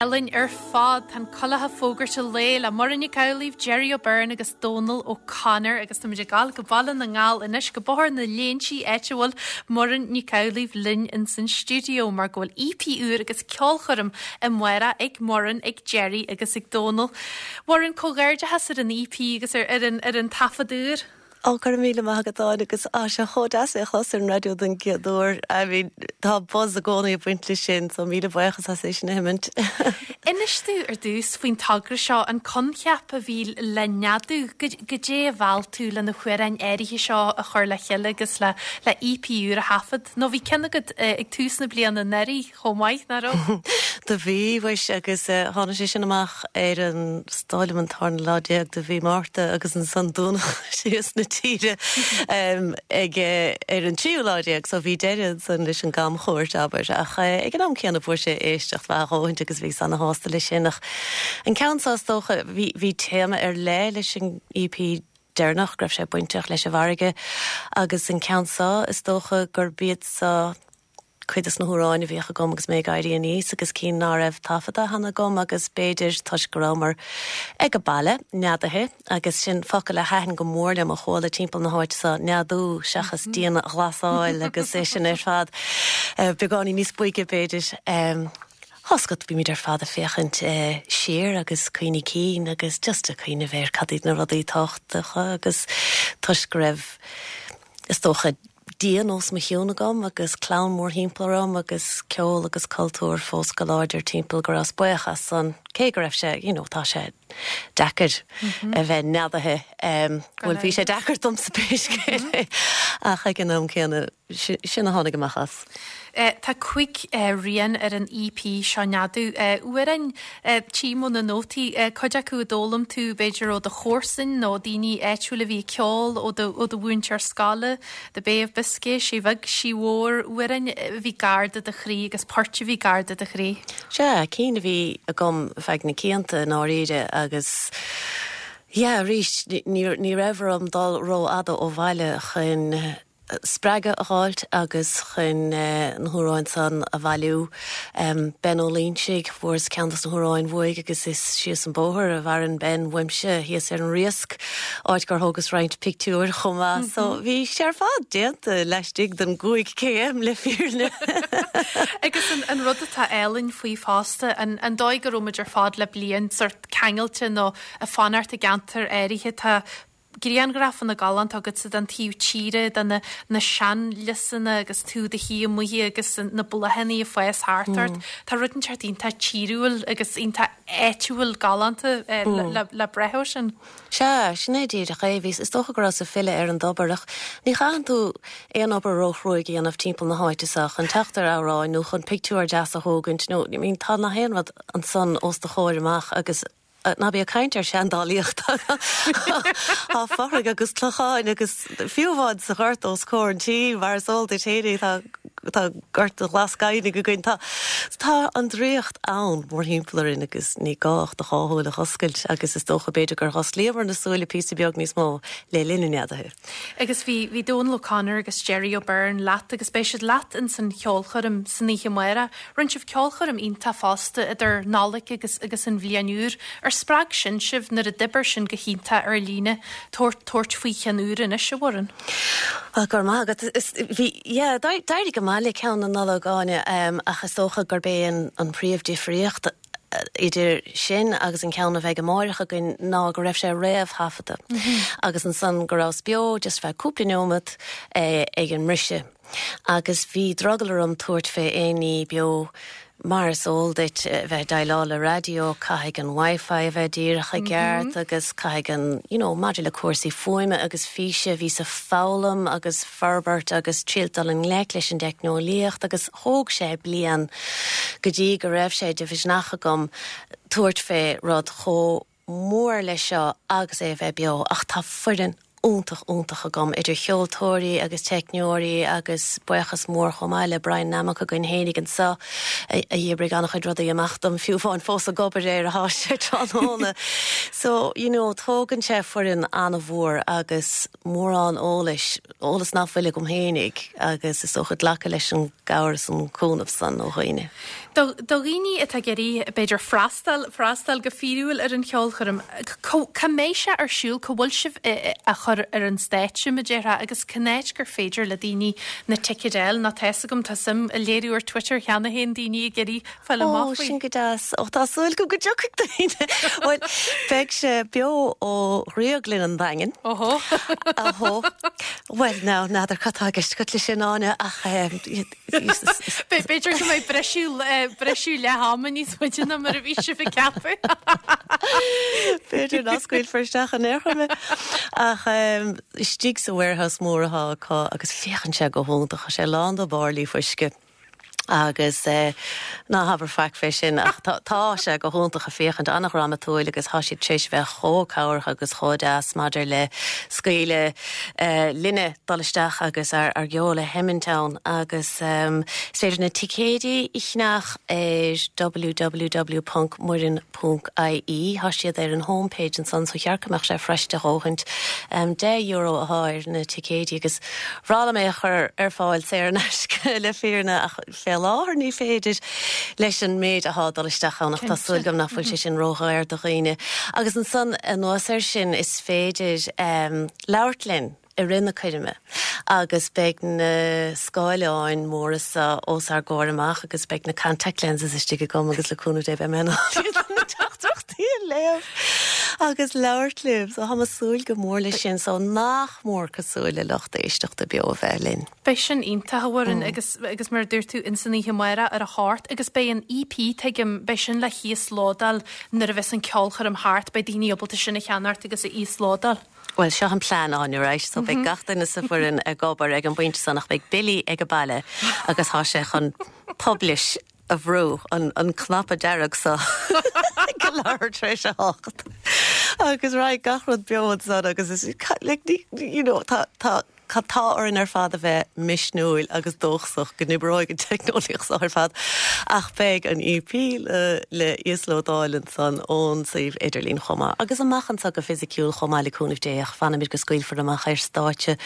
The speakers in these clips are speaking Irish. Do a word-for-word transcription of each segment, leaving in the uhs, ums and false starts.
Álainn ar fad. Tá an Coileach fógartha lae le Muireann Nic Amhlaoibh, Jerry O'Beirne agus Dónal O'Connor agus táimid ag gabháil go Baile na nGall anois go Bóthar na Léinsí áit a bhfuil Muireann Nic Amhlaoibh linn in san stiúideo mar go bhfuil EP úr agus ceolchoirm amárach ag Muireann ag Jerry agus ag Dónal. Muireann comhghairdeachas ar an EP agus ar ar an ar an taifead úr. Ó go raibh míle maith agat Áine agus tá sé chomh deas é a chlos ar an raidió don gcéad uair. I mean, tá buzz i gcónaí ag baint leis sin, so míle buíochas as é sin a thiomáint. Inis dúinn ar dtús faoin togra seo an coincheap a bhí le neadú goidé a mheall tú le na hamhráin áirithe seo a chur le chéile agus le le EP úr a thaifead. Nó bhí ceann agat uh, ag tús na bliana anuraidh chomh maith nach raibh? Do bhí bhuis agus uh, tháinig sé sin amach ar an stáile an tarna lá déag de mhí Márta agus ansan dúnadh síos na tíre um, ag uh, ar an tríú lá déag so bhí deireadh san leis an gcamchuairt abair ach uh, ag an am céanna fuair sé éisteacht mhaith dhóthain agus bhí an-sásta leis sin ach an ceann seo is dócha bhí bhí téama ar leith leis an EP deireanach go raibh sé bainteach leis an bhfarraige agus an ceann seo is dócha gur b'iad seo cuid de na hamhráin a bhíodh agam agus mé ag éirí aníos agus cinn nach raibh taifeadta cheana agam agus b'fhéidir toisc go rabhamar ag an baile neadaithe agus sin focal a thaitin go mór le mo chuala timpeall na háite seo neadú seachas dianghlasáil agus é sin ar fad uh, beagáinín níos boige b'fhéidir. Um, Hoscot bí míid ar fad a féachaint uh, siar agus cuimhní cinn agus just a cuimhneamh ar cad iad na rudaí tábhachtacha agus toisc go raibh is dócha díon os mo chionn agam agus clann mórthimpeall orm agus ceol agus cultúr fós go láidir timpeall go rabhas buíoch as san cé go raibh sé you know, tá sé deacair mm -hmm. a bheith neadaithe um, bhuel bhí sé deacair domsa pé scéal é ach ag an am céanna sin a tháinig amach as. Uh, tá cúig uh, rian ar an EP seo neadú. Uh, Uairean uh, tchím ó na nótaí uh, cuid acu a d'fhoghlaim tú b'fhéidir ó do chomharsain nó daoine áitiúla bhí ceol ó do ó do mhúinteoir scoile, The Bay of Biscay, sí bheag sí mhór amhráin bhí gar do do chroí agus poirt a bhí gar do do chroí. Sea cinn a bhí agam feadh na cianta dáiríre agus Ja, arís ní raibh orm dul rófhada ó bhaile chun spreagadh a fháilt agus chun uh, na hamhráin san a bhailiú. Um, Ben Ó Loingsigh fuaireas ceann de na hamhráin uaidh agus is síos an bóthar a mhaireann Ben uaimse thíos ar an Riasc áit gur thógas roinnt pictiúr chomh maith, mm -hmm. so bhí sé ar fad déanta laistigh den gcúig km le fírinne. Agus an, an rud atá álainn faoi fosta an, an dóigh go raibh muid ar fad le bliain sort ceangailte nó ag fanacht i gceantar áirithe tá grianghrafanna galánta agat den taobh tíre de na na seanliosanna agus tú i do shuí amuigh agus na bláthanna ag fás thart ort. Mm. Tá rud inteacht iontach tíriúil agus iontach áitiúil galánta eh, mm. le, le breith sin. Sea, sin é díreach é bhí is dócha go raibh ag filleadh ar an dtobar ach ní chaitheann tú aon obair róchruaidh a dhéanamh timpeall na háite seo chun teacht ar amhrán nó chun pictiúr deas a thógaint nó I mean, tá gach aon rud ansan os do chomhair amach agus ná bí ag caint ar seandálaíocht Tá fothraigh agus clocháin agus fiú amháin sa ghort os comhair an tí mar is eol duit féinig tá tá gort glas gainimh againn tá tá an draíocht ann mórthimpeall orainn agus ní gá ach do dhá shúil a oscailt agus is dócha b'fhéidir gur osclaíomar na súile píosa beag níos mó le linn an neadaithe. Agus bhí bhí Dónal O'Connor agus Jerry O'Beirne leat agus beidh siad leat in san cheolchoirm san oíche amárach, Rinne sibh ceolchoirm iontach fosta idir Nollaig agus agus an bhliain úr ar spreag sin sibh nuair a d'oibir sin go hiontach ar líne tabhairt tabhairt faoi cheann úr anois a Mhuireann. Gur maith bhí d'éirigh go maith le ceann na Nollag Áine um, ach is dócha gurb é an, an príomhdhifríocht idir sin agus an ceann a bheidh amárach againn ná go raibh sé réamhthaifeadta. Mm -hmm. Agus ansan go rabhas beo just feadh cúpla nóiméad eh, ag an mbriseadh. Agus bhí drogall orm tabhairt fé aon ní beo mar is eol duit bheith déileáil le raidió caithfidh an Wi-Fi a bheith díreach i gceart mm -hmm. agus caithfidh an you know, maidir le cúrsaí fuaime agus físe bhí ag foghlaim agus forbairt agus triail dul i ngleic leis an teicneolaíocht agus thóg sé bliain go dtí go raibh sé de mhisneach agam tabhairt fé rud chomh mór leis seo agus é bheith beo ach tá foireann iontach iontach agam idir cheoltóirí agus teicneoirí agus buíochas mór chomh maith le Brian Nammock againn féinig anseo a d'oibrigh an-chuid rudaí amach dom fiú amháin fós ag obair ar atá sé tráthnóna. So you know, tógann sé foireann an-mhór agus mórán eolais eolas nach bhfuil agam féinig agus is dócha glacadh leis an gcabhair an cúnamh san ó dhaoine. Do dhaoine atá ag iarraidh b'fhéidir freastal freastal go fíorúil ar an cheolchoirm, cá mbeidh sé ar siúl cá bhfuil sibh á chur ar an stáitse mar a déarfá agus cén áit gur féidir le daoine na ticéid a fháil nó tá 'fhios agam tá suim á léiriú ar Twitter cheana féin daoine ag iarraidh fáil amach faoi. Ó sin go deas ó tá súil agam go dtiocfaidh daoine. Bhuel beidh sé beo ó Dhrioglann an Daingin. Óhó. Óhó. Well now n'fheadar cad tá i gceist agat leis sin Áine ach B'fhéidir go mbeidh briseadh briseadh leath ama níos faide ná mar a bhí sibh ag ceapadh. B'fhéidir nach scaoilfear isteach in aon chor mé. Ach istigh sa warehouse mór atá acu agus féachann sé go hiontach sé lán de bhairillí fuisce. agus eh, ná habair faic fé sin ach tá sé go hiontach a féachaint an-dhrámatúil agus tá siad tar éis bheith chomh cabhrach agus chomh deas maidir le scaoileadh eh, linne dul isteach agus ar ar gceol a sheimint ann agus um, is féidir na ticéidí a cheannach ar www.muireann.ie Tá siad ar an homepage ansan so cheart go mbeadh sé fuirist a dhóthaint um, deich euro atá ar na ticéidí agus b'fhearr liom é a chur ar fáil saor in aisce le fírinne ach fé láthair ní féidir leis an méid atá dul isteach ann ach tá súil agam nach bhfuil sé sin ródhaor do dhaoine. Agus ansan anuas air sin is féidir um, labhairt linn i rith na coirme agus beidh na scáileáin móra sa os ár gcomhair amach agus beidh na contact lenses istigh agam agus le cúnamh Dé beidh mé na teachtaireachtaí a léamh agus labhairt libh so tá súil go mór leis sin so nach mór cosúil le lucht éisteachta beo a bheith linn. Beidh sin iontach a Mhuireann agus agus mar dúirt tú in san oíche amárach ar a hocht agus beidh an EP tuigim beidh sin le híoslódáil nuair a bheas an ceolchoirm thart beidh daoine ábalta sin a cheannacht agus a íoslódáil. Well seo an plean an right so beidh gach duine sa bhfoireann ag obair ag an bpointe san ach beidh Billy ag an baile agus tá sé chun publish a bhrú an, an cnaipe dearg so go leathuair tar éis a hocht. Agus raghaidh gach rud beo san agus is like, you know, tá tá tá orainn ar fad a bheith misniúil agus dóchasach go n-oibreoidh an teicneolaíocht seo ar fad ach beidh an EP le, le íoslódáil ansan ón suíomh idirlín chomh maith. Agus amach anseo go fisiciúil chomh maith le cúnamh Dé ach fanfaimid go scaoilfear amach ar stáitse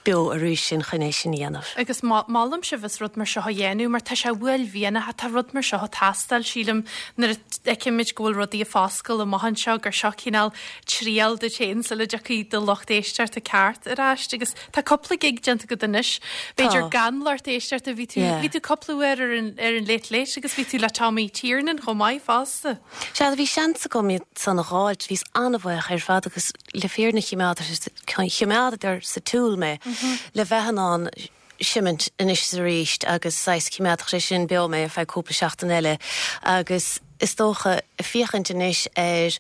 beo arís sin chun é sin a dhéanamh. Agus molaim sibh as rud mar seo a dhéanamh, mar tá sé uaillmhianach tá rud mar seo ag teastáil sílim nuair a fheicimid go bhfuil rudaí ag foscailt amach anseo gur seo cineál triail duit féin sula dtiocfaidh do lucht éisteachta ceart ar ais agus tá cúpla gig déanta agat anois. B'fhéidir gan lucht éisteachta bhí tú bhí tú cúpla uair ar an ar an Late Late agus bhí tú le Tommy Tiernan chomh maith fosta. Sea bhí seans agam san a fháil bhíos an-bhuíoch ar fad agus le fírinne choimeádadar sa tsiúl mé le bheith in ann seimint anois arís agus saghas choimeádfadh sé sin beo mé ar feadh cúpla seachtain eile agus is dócha féachaint anois ar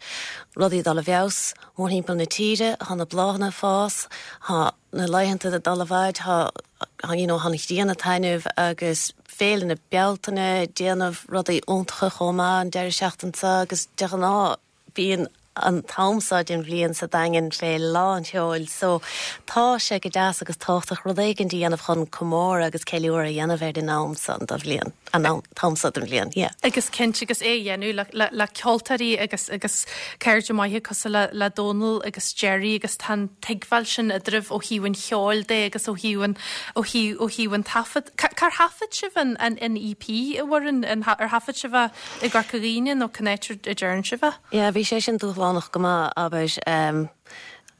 rudaí dul i bhfeabhas mórthimpeall na tíre, tá na bláthanna ag fás, tá na laethanta ag dul i bhfad tá you know, an ghrian ag taitneamh agus féile na Bealtaine déanamh rudaí iontacha chomh maith an deireadh seachtaine seo agus de ghnáth bíonn an t-am seo den bhliain sa Daingean fé lán tseoil, so tá sé go deas agus tábhachtach rud éigin a dhéanamh chun comóradh agus ceiliúradh a dhéanamh ar an am seo den bhliain an t-am seo den bhliain. Yeah. Agus cinnte agus é dhéanamh le, le, le ceoltóirí agus agus cairde maithe cosúil le, le Dónal agus Jerry agus tá an tuigbheáil sin eadraibh ó thaobh an cheoil de agus ó thaobh an ó thaobh ó thaobh an taifead. Cár thaifead sibh an, an, an EP a Mhuireann an, ar thaifead sibh é i gCorca Dhuibhne nó cá háit a dtearn sibh é? Yeah, bhí sé sin dúshlánach go maith abair um,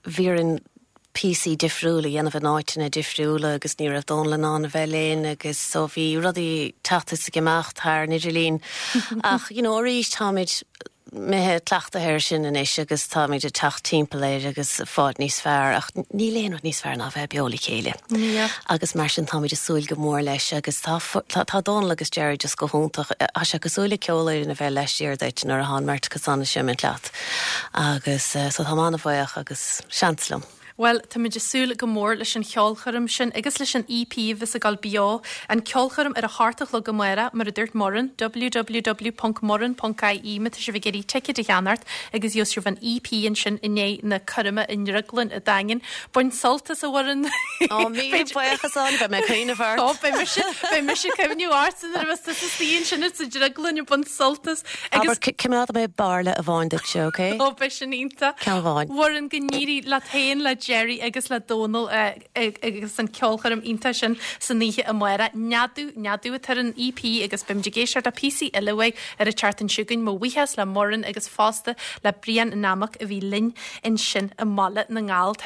bhí orainn píosaí difriúla a dhéanamh in áiteanna difriúla agus ní raibh Dónal in ann a bheith linn agus so bhí rudaí teacht is ag imeacht thar an idirlíon ach you know, arís táimid imithe cleachtaithe air sin anois agus táimid ag teacht timpeall air agus fáil níos fearr ach níl aon rud níos fearr ná bheith beo le chéile. Yeah. Agus mar sin táimid ag súil go mór leis agus tá tá, tá Dónal agus Jerry just go hiontach Tá sé cosúil le ceolfhoireann a bheith laistiar duit nuair atá an bheirt acu san ag seimint leat. Agus uh, so tá an-bhuíoch agus seans liom. Well, Táimid ag súil go mór leis an cheolchoirm sin agus leis an EP bheas ag gabháil beo an ceolchoirm ar a hocht a chlog amárach mar a dúirt Muireann www.muireann.ie má tá sibh ag iarraidh ticéid a cheannacht agus gheobhaidh sibh an EP ansin i ndiaidh na coirme i nDrioglann an Daingin. Bain sult as a Mhuireann. Ó mí buíochas an beidh mé ag cuimhneamh ort. Ó beidh mise beidh mise ag cuimhneamh ort nuair a bheas tusa istigh ansin sa drioglann ag baint sult as agus coimeádfaidh mé bairille amháin duit, okay? Ó beidh sin iontach. Ceann amháin. Mhuireann go n-éirí leat féin le Jerry agus le Dónal agus an ceolchoirm iontach sin san oíche amárach. Neadú neadú atá ar an EP agus beimid ag éisteacht le píosaí eile uaidh ar an tseachtain seo chugainn mo bhuíochas le Muireann agus fosta le Brian Nammock a bhí linn ansin i mBaile na nGall.